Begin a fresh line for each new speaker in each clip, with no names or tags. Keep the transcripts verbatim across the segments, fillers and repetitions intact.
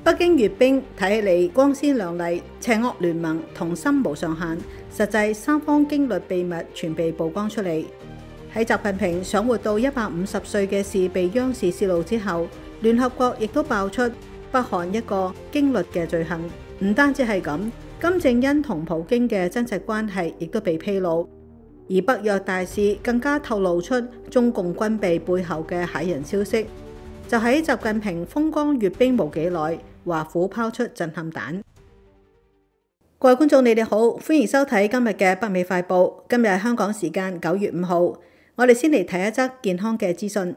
北京閱兵睇起嚟光鮮亮麗，邪惡聯盟同心無上限，實際三方經歷秘密全被曝光出嚟。喺習近平想活到一百五十歲嘅事被央視泄露之後，聯合國亦都爆出北韓一個經歷嘅罪行。唔單止係咁，金正恩同普京嘅真實關係亦都被披露，而北約大使更加透露出中共軍備背後嘅駭人消息。就喺習近平風光閱兵冇幾耐，華府拋出震撼彈。各位觀眾，你哋好，歡迎收睇今日嘅北美快報。今日係香港時間九月五號，我哋先嚟睇一則健康嘅資訊。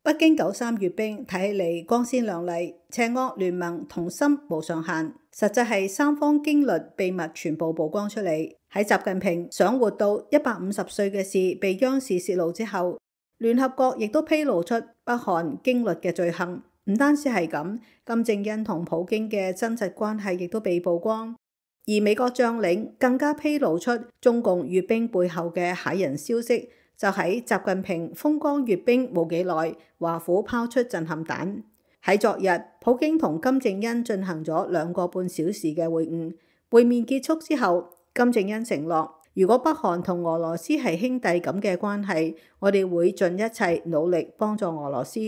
北京九三閱兵睇起嚟光鮮亮麗，邪惡聯盟同心無上限，實際係三方經歷秘密全部曝光出嚟。喺習近平想活到一百五十歲嘅事被央視泄露之後，聯合國亦都披露出北韓經歷嘅罪行。唔單止係咁，金正恩同普京嘅真實關係亦都被曝光，而美國將領更加披露出中共閱兵背後嘅駭人消息。就喺習近平風光閱兵冇幾耐，華府拋出震撼彈。喺昨日，普京同金正恩進行咗兩個半小時嘅會晤。會面結束之後，金正恩承諾，如果北韓同俄羅斯係兄弟咁嘅關係，我哋會盡一切努力幫助俄羅斯。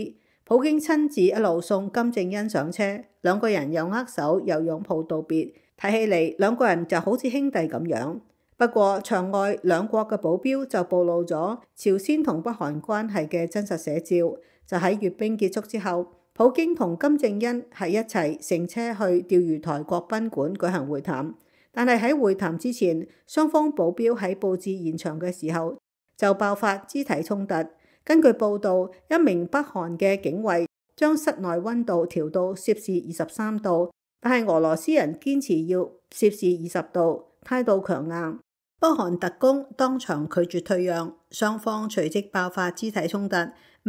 普京親自一路送金正恩上車，兩個人又握手又擁抱道別，睇起嚟兩個人就好似兄弟咁樣。不過場外兩國嘅保鏢就暴露咗朝鮮同北韓關係嘅真實寫照。就喺閱兵結束之後，普京同金正恩係一齊乘車去釣魚台國賓館舉行會談。但係喺會談之前，雙方保鏢喺佈置現場嘅時候就爆發肢體衝突。根據報道，一名北韓嘅警衛將室內溫度調到攝氏二十三度，但係俄羅斯人堅持要攝氏二十度，態度強硬。北韓特工當場拒絕退讓，雙方隨即爆發肢體衝突，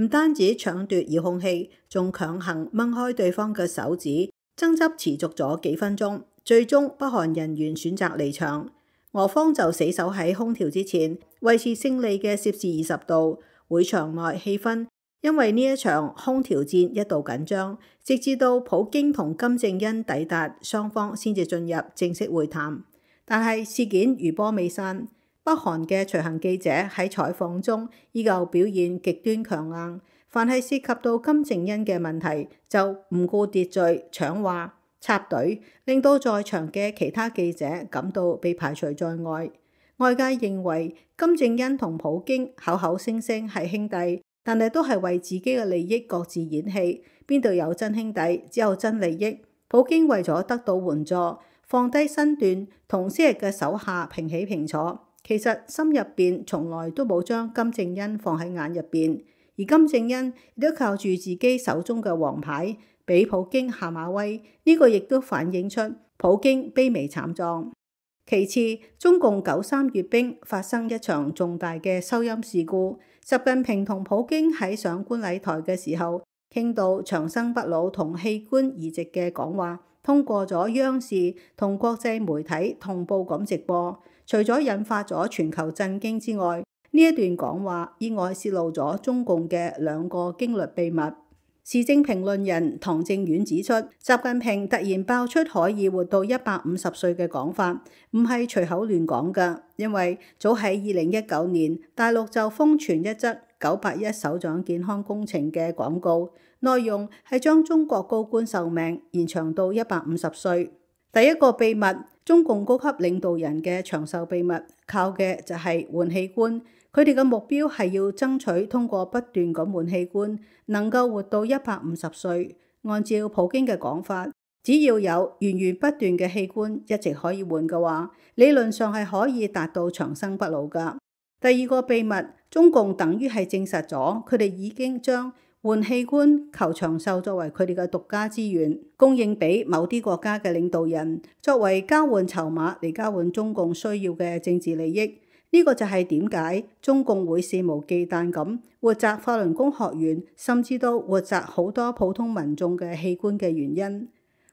唔單止搶奪遙控器，仲強行掹開對方嘅手指，爭執持續咗幾分鐘。最終北韓人員選擇離場，俄方就死守喺空調之前，維持勝利嘅攝氏二十度。會場內氣氛因為呢一場空調戰一度緊張，直至到普京同金正恩抵達，雙方先至進入正式會談。但係事件餘波未散，北韓嘅隨行記者喺採訪中依舊表現極端強硬，凡係涉及到金正恩嘅問題就唔顧秩序搶話插隊，令到在場嘅其他記者感到被排除在外。外界認為金正恩同普京口口聲聲係兄弟，但係都係為自己嘅利益各自演戲，邊度有真兄弟，只有真利益。普京為咗得到援助，放低身段，同昔日嘅手下平起平坐，其實心入邊從來都冇將金正恩放喺眼入邊。而金正恩亦都靠住自己手中嘅王牌，俾普京下馬威，呢個亦都反映出普京卑微慘狀。其次，中共九三閱兵發生一場重大嘅收音事故。習近平同普京喺上觀禮台嘅時候，傾到長生不老同器官移植嘅講話，通過咗央視同國際媒體同步咁直播。除咗引發咗全球震驚之外，呢一段講話意外泄露咗中共嘅兩個經歷秘密。時政評論人唐正遠指出，習近平突然爆出可以活到一百五十歲嘅講法，唔係隨口亂講㗎，因為早喺二零一九年，大陸就瘋傳一則九八一首長健康工程嘅廣告，內容係將中國高官壽命延長到一百五十歲。第一個秘密，中共高級領導人嘅長壽秘密，靠嘅就係換器官。佢哋嘅目標係要爭取通過不斷咁換器官，能夠活到一百五十歲。按照普京嘅講法，只要有源源不斷嘅器官一直可以換嘅話，理論上係可以達到長生不老㗎。第二個秘密，中共等於係證實咗佢哋已經將換器官求長壽作為佢哋嘅獨家資源，供應俾某啲國家嘅領導人，作為交換籌碼嚟交換中共需要嘅政治利益。呢個就係點解中共會肆無忌憚咁活摘法輪功學員，甚至都活摘好多普通民眾嘅器官嘅原因。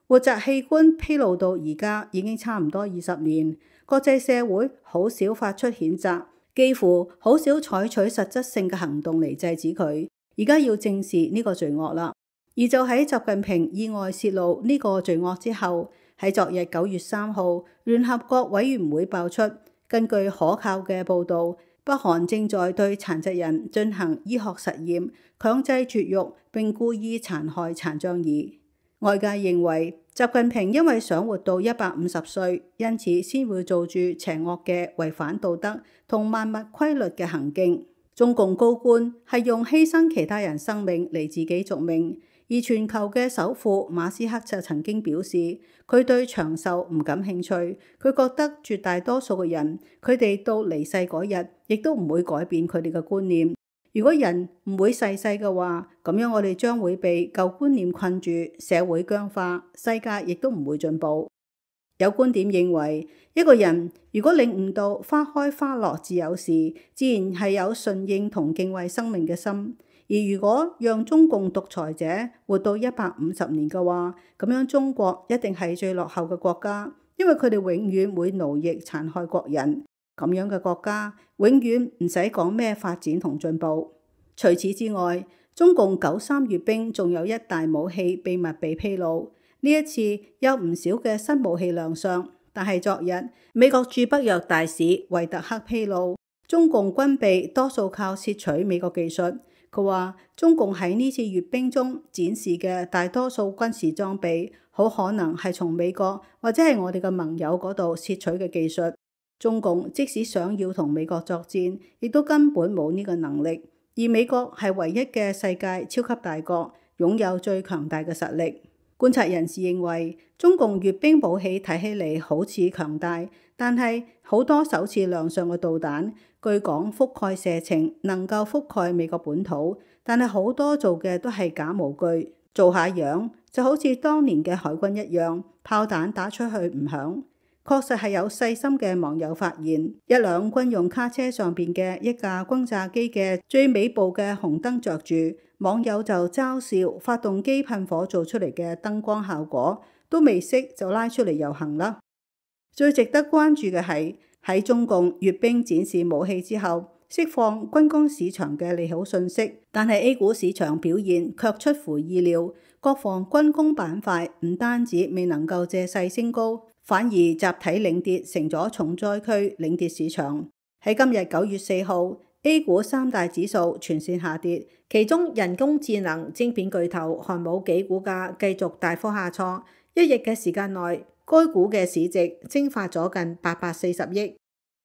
活摘器官披露到而家已經差唔多二十年，國際社會好少發出譴責，幾乎好少採取實質性嘅行動嚟制止佢。而家要正視呢個罪惡啦。而就喺習近平意外泄露呢個罪惡之後，喺昨日九月三號，聯合國委員會爆出，根據可靠嘅報導，北韓正在對殘疾人進行醫學實驗，強制絕育並故意殘害殘障兒。外界認為習近平因為想活到一百五十歲，因此先會做住邪惡嘅違反道德同萬物規律嘅行徑。中共高官係用犧牲其他人生命嚟自己續命。而全球嘅首富馬斯克就曾經表示，佢對長壽唔感興趣，佢覺得絕大多數嘅人，佢哋到離世嗰日，亦都唔會改變佢哋嘅觀念。如果人唔會逝世嘅話，咁樣我哋將會被舊觀念困住，社會僵化，世界亦都唔會進步。有觀點認為，一個人如果領悟到花開花落自有時，自然係有順應同敬畏生命嘅心。而如果讓中共獨裁者活到一百五十年嘅話，咁樣中國一定係最落後嘅國家，因為佢哋永遠會奴役殘害國人。咁樣嘅國家永遠唔使講咩發展同進步。除此之外，中共九三閱兵仲有一大武器秘密被披露。呢一次有唔少嘅新武器亮相，但係昨日美國駐北約大使維特克披露，中共軍備多數靠竊取美國技術。佢話中共喺呢次閱兵中展示嘅大多數軍事裝備，好可能係從美國或者係我哋嘅盟友嗰度竊取嘅技術。中共即使想要同美國作戰，亦都根本冇呢個能力。而美國係唯一嘅世界超級大國，擁有最強大嘅實力。觀察人士認為，中共閱兵武器睇起嚟好似強大，但係好多首次亮相嘅導彈，據講覆蓋射程能夠覆蓋美國本土，但係好多做嘅都係假模具，做下樣，就好似當年嘅海軍一樣，炮彈打出去唔響。確實係有細心嘅網友發現，一輛軍用卡車上邊嘅一架轟炸機嘅最尾部嘅紅燈着住，網友就嘲笑發動機噴火做出嚟嘅燈光效果，都未熄就拉出嚟遊行啦。最值得關注嘅係喺中共閱兵展示武器之後，釋放軍工市場嘅利好訊息，但係 A 股市場表現卻出乎意料，國防軍工板塊唔單止未能夠借勢升高，反而集體領跌，成咗重災區領跌市場。喺今日九月四號 A 股三大指數全線下跌，其中人工智能晶片巨頭寒武紀股價繼續大幅下挫，一日嘅時間內，該股嘅市值蒸發咗近八百四十億。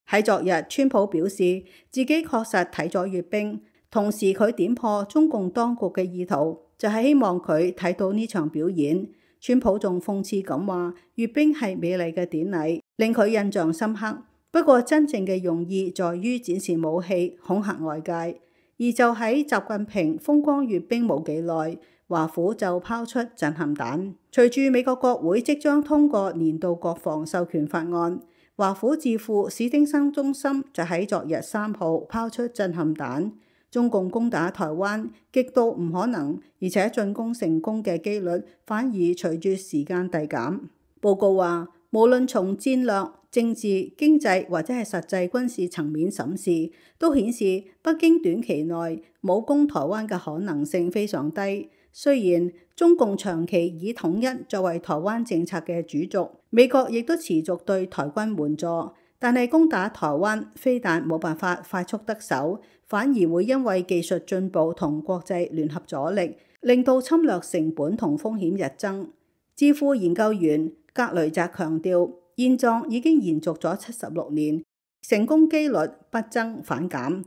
喺昨日，川普表示自己確實睇咗閱兵，同時佢點破中共當局嘅意圖，就係希望佢睇到呢場表演。川普仲諷刺咁話，閱兵係美麗嘅典禮，令佢印象深刻。不過真正嘅用意在於展示武器，恐嚇外界。而就喺習近平風光閱兵冇幾耐，華府就拋出震撼彈。隨住美國國會即將通過年度國防授權法案，華府智庫史丁生中心就喺昨日三號拋出震撼彈。中共攻打台灣極度唔可能，而且進攻成功嘅機率反而隨住時間遞減。報告話，無論從戰略、政治、經濟或者係實際軍事層面審視，都顯示北京短期內冇攻台灣嘅可能性非常低。雖然中共長期以統一作為台灣政策嘅主軸，美國亦都持續對台軍援助，但係攻打台灣非但冇辦法快速得手，反而會因為技術進步同國際聯合阻力，令到侵略成本同風險日增。智庫研究員格雷澤強調，現狀已經延續咗七十六年，成功機率不增反減。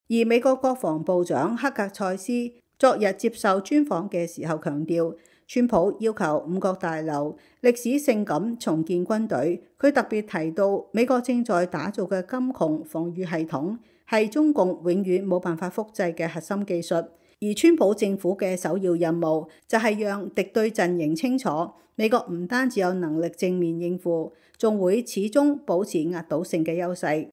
而美國國防部長克格塞斯昨日接受專訪嘅時候強調，川普要求五角大樓歷史性咁重建軍隊。佢特別提到，美國正在打造嘅金窮防禦系統係中共永遠冇辦法複製嘅核心技術。而川普政府嘅首要任務就係讓敵對陣營清楚，美國唔單止有能力正面應付，仲會始終保持壓倒性嘅優勢。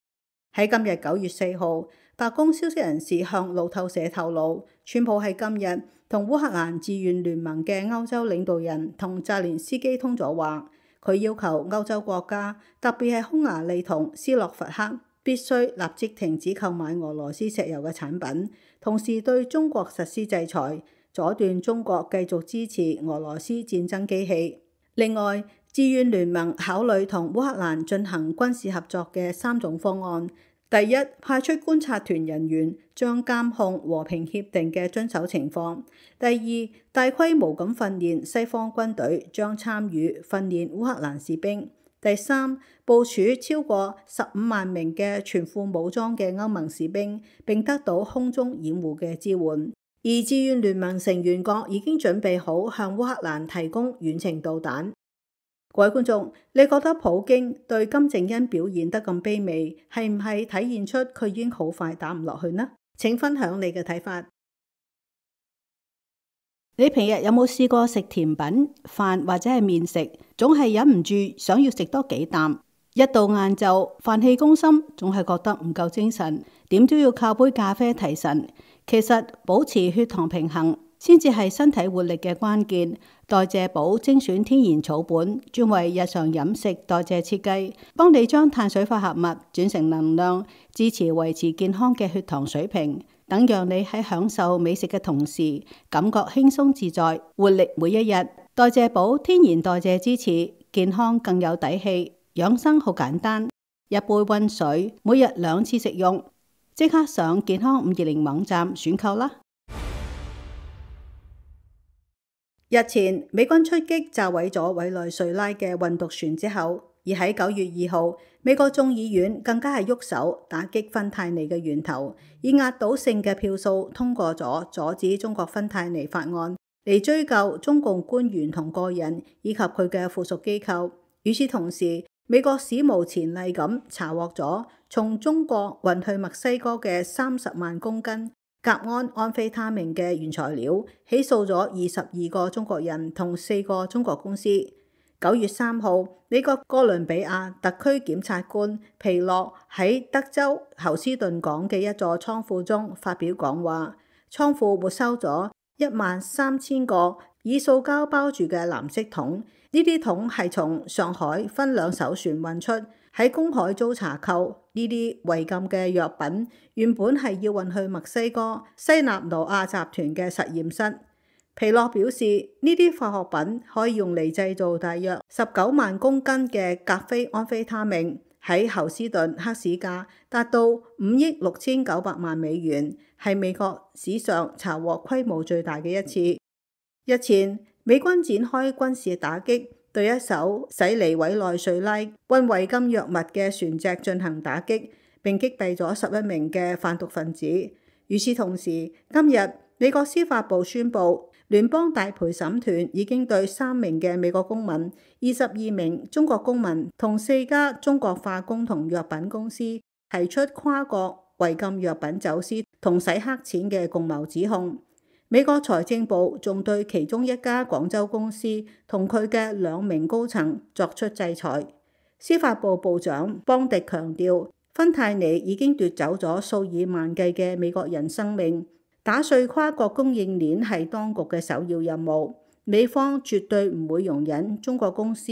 喺今日九月四號，白宮消息人士向路透社透露，川普喺今日同烏克蘭志願聯盟嘅歐洲領導人同澤連斯基通咗話，佢要求歐洲國家，特別係匈牙利同斯洛伐克，必須立即停止購買俄羅斯石油嘅產品，同時對中國實施制裁，阻斷中國繼續支持俄羅斯戰爭機器。另外，志願聯盟考慮同烏克蘭進行軍事合作嘅三種方案。第一，派出觀察團人員將監控和平協定嘅遵守情況。第二，大規模咁訓練西方軍隊將參與訓練烏克蘭士兵。第三，部署超過十五萬名嘅全副武裝嘅歐盟士兵，並得到空中掩護嘅支援。而志願聯盟成員國已經準備好向烏克蘭提供遠程導彈。各位觀眾，你覺得普京對金正恩表現得咁卑微，係唔係體現出佢已經好快打唔落去呢？請分享你嘅睇法。你平日有冇試過食甜品、飯或者係麵食，總係忍唔住想要食多幾啖？一到晏晝，飯氣攻心，總係覺得唔夠精神，點都要靠杯咖啡提神。其實保持血糖平衡先至係身體活力嘅關鍵。代謝寶精選天然草本，專為日常飲食代謝設計，幫你將碳水化合物轉成能量，支持維持健康嘅血糖水平，等讓你喺享受美食嘅同時，感覺輕鬆自在，活力每一日。代謝寶天然代謝支持，健康更有底氣。養生好簡單，一杯溫水，每日兩次食用。即刻上健康五二零網站選購啦！日前，美軍出擊炸毀咗委內瑞拉嘅運毒船之後，而喺九月二號，美國眾議院更加係喐手打擊芬太尼嘅源頭，以壓倒性嘅票數通過咗阻止中國芬太尼法案，嚟追究中共官員同個人以及佢嘅附屬機構。與此同時，美國史無前例咁查獲咗從中國運去墨西哥嘅三十萬公斤甲胺安非他命嘅原材料，起訴咗二十二個中國人同四個中國公司。九月三號，美國哥倫比亞特區檢察官皮洛喺德州侯斯頓港嘅一座倉庫中發表講話，倉庫沒收咗一萬三千個以塑膠包住嘅藍色桶，呢啲桶係從上海分兩艘船運出，喺公海遭查扣。呢啲違禁嘅藥品原本係要運去墨西哥西納羅亞集團嘅實驗室。皮洛表示，呢啲化學品可以用嚟製造大約十九萬公斤嘅甲非安非他命，喺侯斯頓黑市價達到五億六千九百萬美元，係美國史上查獲規模最大嘅一次。日前，美軍展開軍事打擊，對一艘駛離委內瑞拉運違禁藥物嘅船隻進行打擊，並擊斃咗十一名嘅販毒分子。與此同時，今日美國司法部宣布，聯邦大陪審團已經對三名嘅美國公民、二十二名中國公民同四家中國化工同藥品公司提出跨國違禁藥品走私同洗黑錢嘅共謀指控。美國財政部仲對其中一家廣州公司同佢嘅兩名高層作出制裁。司法部部長邦迪強調，芬太尼已經奪走咗數以萬計嘅美國人生命，打碎跨國供應鏈係當局嘅首要任務。美方絕對唔會容忍中國公司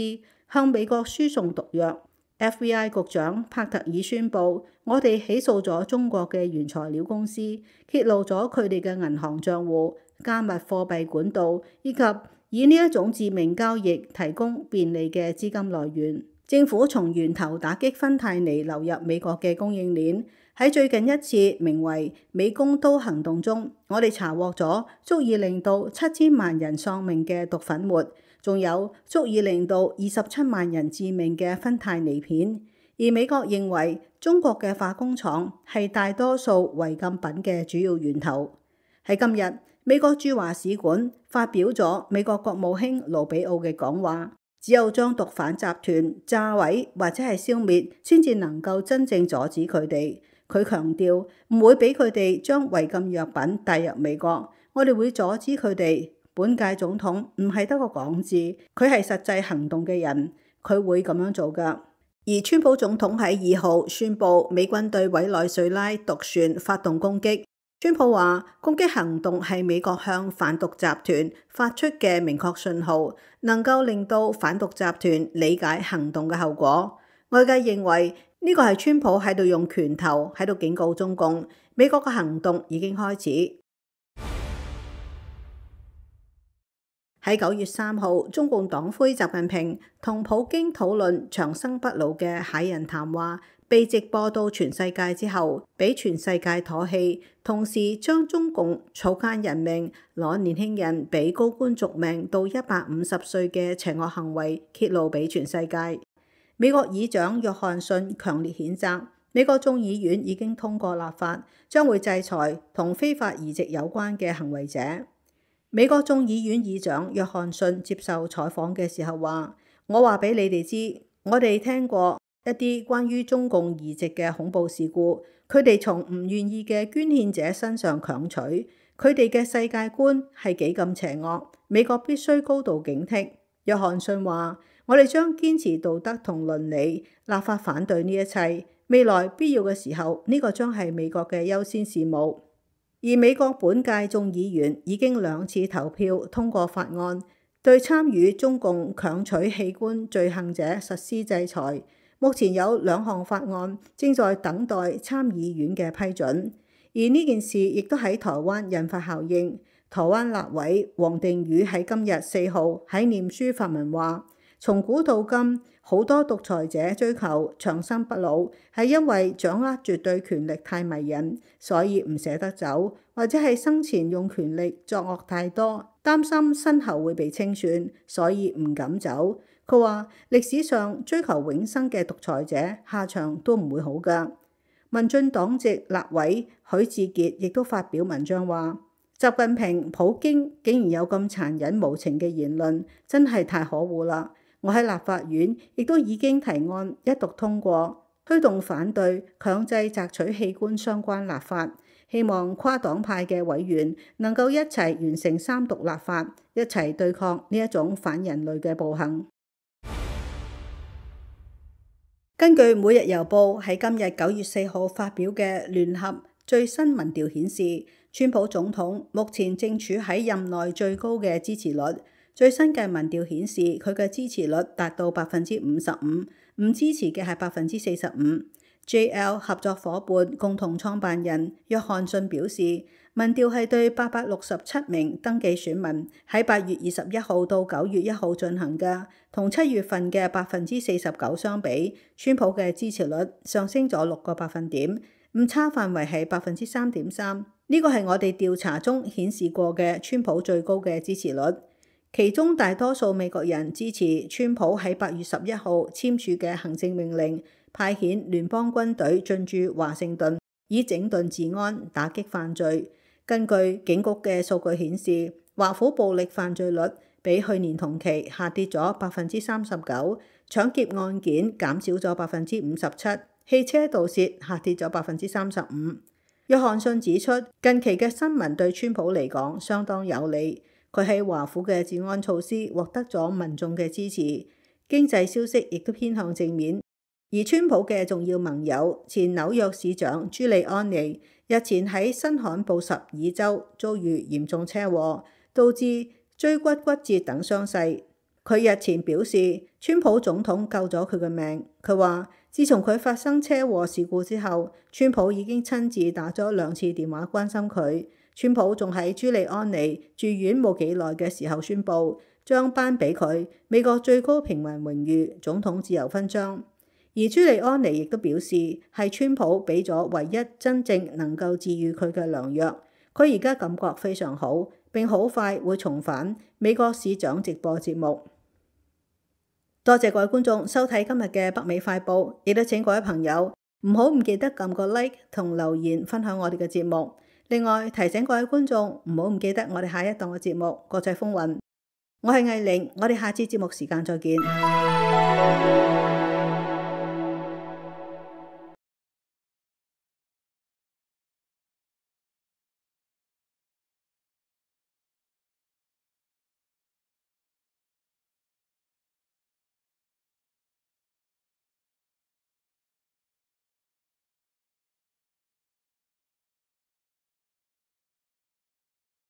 向美國輸送毒藥。F B I 局長帕特爾宣布，我哋起訴咗中國嘅原材料公司，揭露咗佢哋嘅銀行賬戶、加密貨幣管道，以及以呢一種致命交易提供便利嘅資金來源。政府從源頭打擊芬太尼流入美國嘅供應鏈。喺最近一次名為美工刀行動中，我哋查獲咗足以令到七千萬人喪命嘅毒粉末，仲有足以令到二十七萬人致命嘅芬太尼片。而美國認為中國嘅化工廠係大多數違禁品嘅主要源頭。喺今日，美國駐華使館發表咗美國國務卿盧比奧嘅講話，只有將毒販集團炸毀或者係消滅，先至能夠真正阻止佢哋。佢強調唔會俾佢哋將違禁藥品帶入美國，我哋會阻止佢哋。本屆總統唔係得個講字，佢係實際行動嘅人，佢會咁樣做㗎。而川普總統喺二號宣布美軍對委內瑞拉毒船發動攻擊。川普話攻擊行動係美國向販毒集團發出嘅明確信號，能夠令到販毒集團理解行動嘅後果。外界認為呢個係川普喺度用拳頭喺度警告中共，美國嘅行動已經開始。喺九月三號，中共黨魁習近平同普京討論長生不老嘅駭人談話，被直播到全世界之後，俾全世界唾棄，同時將中共草菅人命、攞年輕人俾高官續命到一百五十歲嘅邪惡行為揭露俾全世界。美國議長約翰遜強烈譴責，美國眾議院已經通過立法，將會制裁同非法移植有關嘅行為者。美國眾議院議長約翰遜接受採訪嘅時候話：我話俾你哋知，我哋聽過一啲關於中共移植嘅恐怖事故，佢哋從唔願意嘅捐獻者身上強取，佢哋嘅世界觀係幾咁邪惡，美國必須高度警惕。約翰遜話：我哋將堅持道德同倫理，立法反對呢一切。未來必要嘅時候，呢個將係美國嘅優先事務。而美國本屆眾議員已經兩次投票通過法案，對參與中共強取器官罪行者實施制裁。目前有兩項法案正在等待參議院嘅批准，而呢件事亦都喺台灣引發效應。台灣立委王定宇喺今日四號喺臉書發文話：從古到今，好多獨裁者追求長生不老，係因為掌握絕對權力太迷人，所以唔捨得走，或者係生前用權力作惡太多，擔心身後會被清算，所以唔敢走。佢話歷史上追求永生嘅獨裁者下場都唔會好㗎。民進黨籍立委許智傑亦都發表文章話：習近平、普京竟然有咁殘忍無情嘅言論，真係太可惡啦！我喺立法院亦都已經提案一讀通過，推動反對強制摘取器官相關立法，希望跨黨派嘅委員能夠一齊完成三讀立法，一齊對抗呢一種反人類嘅暴行。根據每日郵報喺今日九月四號發表嘅聯合最新民調顯示，川普總統目前正處喺任內最高嘅支持率。最新嘅民調顯示，佢嘅支持率達到百分之五十五，唔支持嘅係百分之四十五。J L 合作夥伴共同創辦人約翰遜表示，民調係對八百六十七名登記選民喺八月二十一號到九月一號進行嘅，同七月份嘅百分之四十九相比，川普嘅支持率上升咗六個百分點，誤差範圍係百分之三點三。呢個係我哋調查中顯示過嘅川普最高嘅支持率。其中大多數美國人支持川普喺八月十一號簽署嘅行政命令，派遣聯邦軍隊進駐華盛頓，以整頓治安、打擊犯罪。根據警局嘅數據顯示，華府暴力犯罪率比去年同期下跌咗百分之三十九，搶劫案件減少咗百分之五十七，汽車盜竊下跌咗百分之三十五。約翰遜指出，近期嘅新聞對川普嚟講相當有利。佢喺華府嘅治安措施獲得咗民眾嘅支持，經濟消息亦都偏向正面。而川普嘅重要盟友前紐約市長朱利安尼日前喺新罕布什爾州遭遇嚴重車禍，導致椎骨骨折等傷勢。佢日前表示，川普總統救咗佢嘅命。佢話，自從佢發生車禍事故之後，川普已經親自打咗兩次電話關心佢。川普仲喺朱利安尼住院冇幾耐嘅時候宣布，將頒俾佢美國最高平民榮譽總統自由勳章。而朱利安尼亦都表示，係川普俾咗唯一真正能夠治癒佢嘅良藥。佢而家感覺非常好，並好快會重返美國市長直播節目。多謝各位觀眾收睇今日嘅北美快報，亦都請各位朋友唔好唔記得撳個 like 同留言分享我哋嘅節目。另外提醒各位觀眾唔好唔記得我哋下一檔嘅節目《國際風雲》。我係藝玲，我哋下次節目時間再見。